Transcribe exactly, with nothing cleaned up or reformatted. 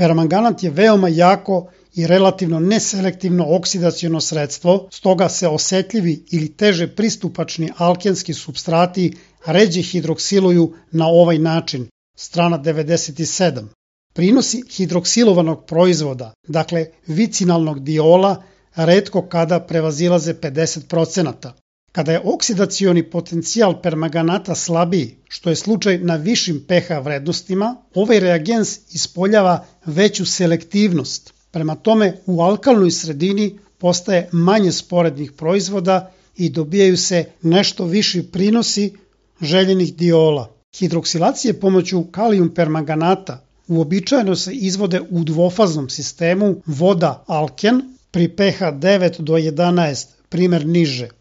Permanganat je veoma jako i relativno neselektivno oksidaciono sredstvo, stoga se osetljivi ili teže pristupačni alkenski supstrati ređe hidroksiluju na ovaj način, strana devedeset sedam. Prinosi hidroksilovanog proizvoda, dakle vicinalnog diola, retko kada prevazilaze pedeset procenata. Kada je oksidacioni potencijal permanganata slabiji, što je slučaj na višim pH vrednostima, ovaj reagens ispoljava veću selektivnost. Prema tome, u alkalnoj sredini postaje manje sporednih proizvoda i dobijaju se nešto viši prinosi željenih diola. Hidroksilacije pomoću kalijum permanganata uobičajeno se izvode u dvofaznom sistemu voda-alken pri pH devet do jedanaest, primer niže.